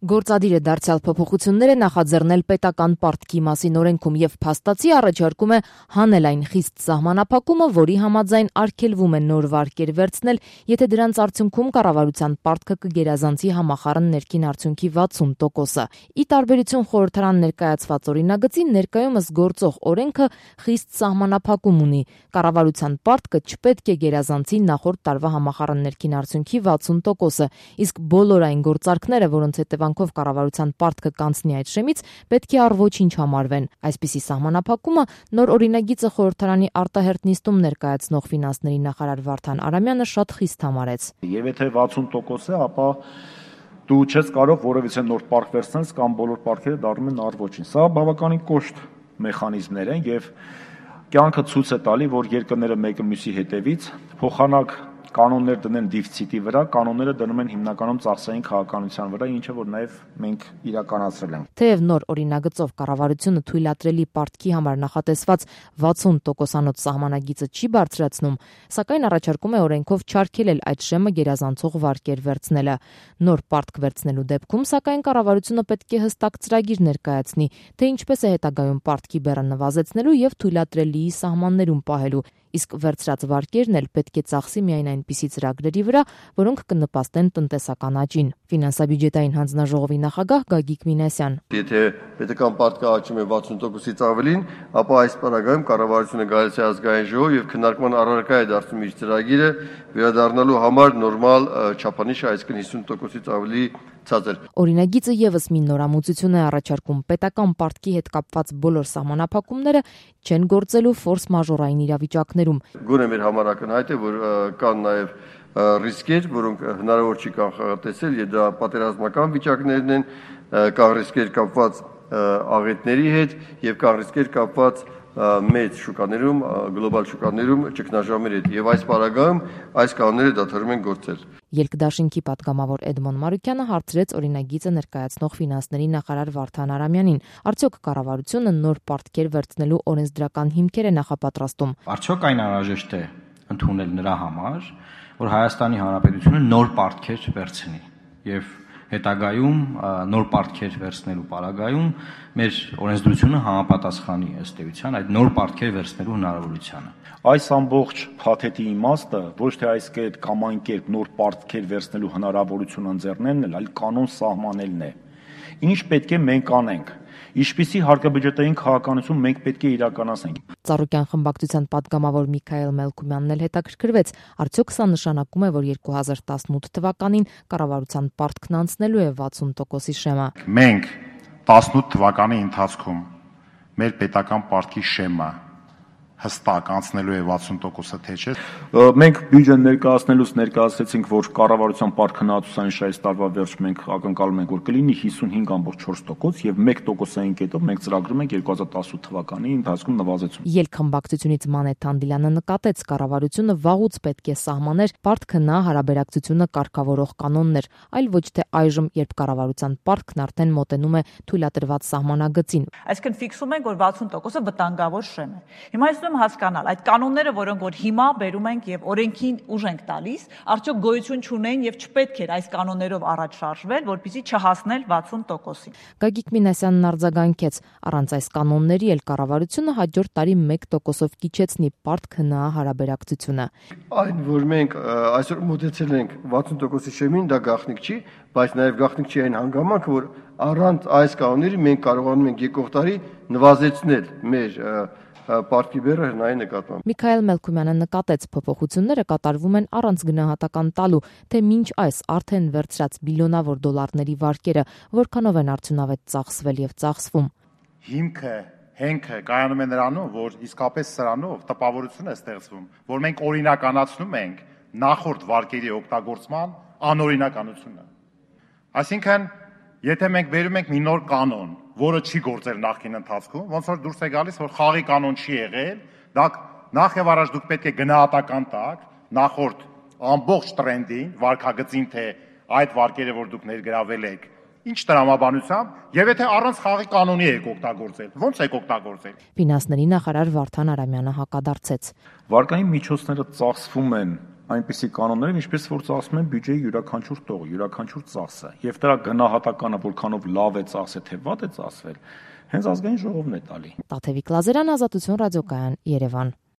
Գործադիր է դարձյալ փոփոխությունները նախաձեռնել պետական պարտքի մասին օրենքում եւ փաստացի առաջարկում է հանել այն խիստ սահմանափակումը, որի համաձայն արգելվում է նոր վարկեր վերցնել, եթե դրանց արդյունքում կառավարության պարտքը կգերազանցի համախառն ներքին արդյունքի 60%-ը։ Ի տարբերություն խորհրդարան ներկայացված օրինագծի, ներկայումս գործող օրենքը խիստ սահմանափակում ունի։ Կառավարության պարտքը չպետք է գերազանցի նախորդ տարվա համախառն ներքին արդյունքի 60%-ը, իսկ բոլոր այն գործարքները, որոնց հետևանքով կառավարության պարտքը կանցնի այդ շեմից, պետք է առ ոչինչ համարվեն։ Այսպիսի սահմանափակումը նոր օրինագիծը խորհրդարանի արտահերթ նիստում ներկայացնող ֆինանսների նախարար Վարդան Արամյանը շատ խիստ համարեց։ Եվ եթե 60% է, ապա դու չես կարող որևիցե նոր պարկ վերցնել կամ բոլոր պարկերը դառնում են առ ոչինչ։ Սա բավականին կոշտ մեխանիզմներ են եւ կյանքը ցույց է տալի, որ երկրները մեկը մյուսի հետևից փոխանակ կանոններ դնեն դիֆիցիտի վրա, կանոնները դնում են հիմնականում ծախսային քաղաքականության վրա, ինչը որ նաև մենք իրականացրել ենք։ Թեև նոր օրինագծով կառավարությունը թույլատրելի պարտքի համար նախատեսված 60%-անոց սահմանագիծը չի բարձրացնում, սակայն առաջարկում է օրենքով չարգելել այդ շեմը գերազանցող վարկեր վերցնելը։ Նոր պարտք վերցնելու դեպքում, սակայն կառավարությունը պետք է հստակ ծրագիր ներկայացնի, թե ինչպես է հետագայում պարտքի բեռը նվազեցնելու եւ թույլատրելի սահմաններում պահելու, իսկ վերցրած վարկերն էլ պետք է ծախսի միայն այնպիսի ծրագրերի վրա, որոնք կնպաստեն տնտեսական աճին։ Ֆինանսա-բյուջետային հանձնաժողովի նախագահ Գագիկ Մինասյան. Եթե պետական պարտքը աճում է 60%-ից ավելին, ապա այս պարագայում կառավարությունը գալիս է ազգային ժողով եւ քննարկման առարկա է դարձնում իր ծրագիրը վերադառնալու համար նորմալ չափանիշը, այսինքն 50%-ից ավելի ցածր։ Օրինագիծը եւս մի նորամուծություն է առաջարկում պետական պարտքի հետ կապված բոլոր սահմանափակումները չեն գործելու ֆորս մաժորային իրավիճակներում։ Գոնե մեր համար ակնհայտ է, որ կան նաեւ ռիսկեր, որոնք հնարավոր չի կանխատեսել, եւ դա պատերազմական վիճակներն են, կան ռիսկեր կապված աղետների հետ եւ կան ռիսկեր կապված մեծ շուկաներում, գլոբալ շուկաներում ճգնաժամերի հետ եւ այս պարագայում այս կանոնները դադարում են գործել։ Ելքդաշինքի պատգամավոր Էդմոն Մարուկյանը հարցրեց օրինագիծը ներկայացնող ֆինանսների նախարար Վարդան Արամյանին. Արդյոք կառավարությունը նոր պարտքեր վերցնելու օրենսդրական հիմքեր է նախապատրաստում։ Արդյոք այն անհրաժեշտ է ընդունել նրա համար, որ Հայաստանի Հանրապետությունը նոր պարտքեր վերցնի եւ հետագայում նոր պարտքեր վերցնելու պարագայում մեր օրենսդրությունը համապատասխանի ըստ էության այդ նոր պարտքեր վերցնելու հնարավորությանը։ Այս ամբողջ փաթեթի իմաստը ոչ թե այս կերպ կամ այն կերպ նոր պարտքեր վերցնելու հնարավորություն ընձեռնելն է, այլ կանոն սահմանելն է։ Ինչ պետք է մենք անենք, ինչպիսի հարկաբյուջետային քաղաքականություն մենք պետք է իրականացնենք։ Ծառուկյան խմբակցության պատգամավոր Միքայել Մելքումյանն էլ հետաքրքրվեց, արդյոք սա նշանակում է, որ 2018 թվականին կառավարության պարտքն անցնելու է 60%-ի շեմը։ Մենք 18 թվականի ընթացքում մեր պետական պարտքի շեմը հստակ անցնելու է 60%-ը, թե չէ։ Մենք բյուջեն ներկայացնելուց ներկայացրեցինք, որ կառավարության պարտքնահատուցային այս տարվա վերջում մենք ակնկալում ենք, որ կլինի 55.4% եւ 1%-ային կետով մենք ծրագրում ենք 2018 թվականի ընթացքում նվազեցում։ Ելքխմբակցությունից Մանե Թանդիլյանը նկատեց, կառավարությունը վաղուց պետք է սահմաներ պարտքնա հարաբերակցությունը կարգավորող կանոններ, այլ ոչ թե այժմ, երբ կառավարության պարտքն արդեն մոտենում է թույլատրված սահմանագծին։ Այսինքն ֆիքսում ենք, որ 60%-ը վտանգավոր շեմ է։ Հիմա ես հասկանալ այդ կանոնները, որոնք որ հիմա բերում ենք եւ օրենքին ուժ ենք տալիս, արդյոք գոյություն չունեն եւ չպետք էր այս կանոններով առաջ շարժվել, որպեսզի չհասնել 60%-ին։ Գագիկ Մինասյանն արձագանքեց, առանց այս կանոնների էլ կառավարությունը հաջորդ տարի 1%-ով կիչեցնի պարտքնա հարաբերակցությունը։ Այն, որ մենք այսօր մոտեցել ենք 60%-ի շեմին, դա գաղտնիք չի, բայց նաեւ գաղտնիք չի այն հանգամանքը, որ առանց այս կանոնների մենք կարողանում ենք եկող տարի նվազեցնել մեր պարտքի բեռը հնայի նկատմամբ։ Միքայել Մելքումյանը նկատեց, փոփոխությունները կատարվում են առանց գնահատական տալու, թե մինչ այս արդեն վերցրած բիլիոնավոր դոլարների վարկերը որքանով են արդյունավետ ծախսվել եւ ծախսվում։ Հենքը կայանում է նրանով, որ իսկապես սրանով տպավորություն է ստեղծվում, որ մենք օրինականացնում ենք նախորդ վարկերի օգտագործման անօրինականությունը։ Այսինքն, եթե մենք բերում ենք մի նոր կանոն, որը չի գործել նախկին ընթացքում, ոնց որ դուրս է գալիս, որ խաղի կանոն չի եղել, դա նախ եւ առաջ դուք պետք է գնահատական տաք նախորդ ամբողջ տրենդին, վարկագծին, թե այդ վարկերը, որ դուք ներգրավել եք, ինչ տրամաբանությամբ, եւ եթե առանց խաղի կանոնի եք օգտագործել, ո՞նց եք օգտագործել։ Ֆինանսների նախարար Վարդան Արամյանը հակադարձեց։ Վարկային միջոցները ծախսվում են այնպիսի կանոններով, ինչպես որ ծախսում են բյուջեի յուրաքանչյուր տող, յուրաքանչյուր ծախսը։ Եվ դրա գնահատականը որքանով լավ է ծախսել, թե վատ է ծախսվել, հենց ազգային ժողովն է տալի։ Տաթևիկ Լազարյան, Ազատություն ռադիոկայան, Երևան։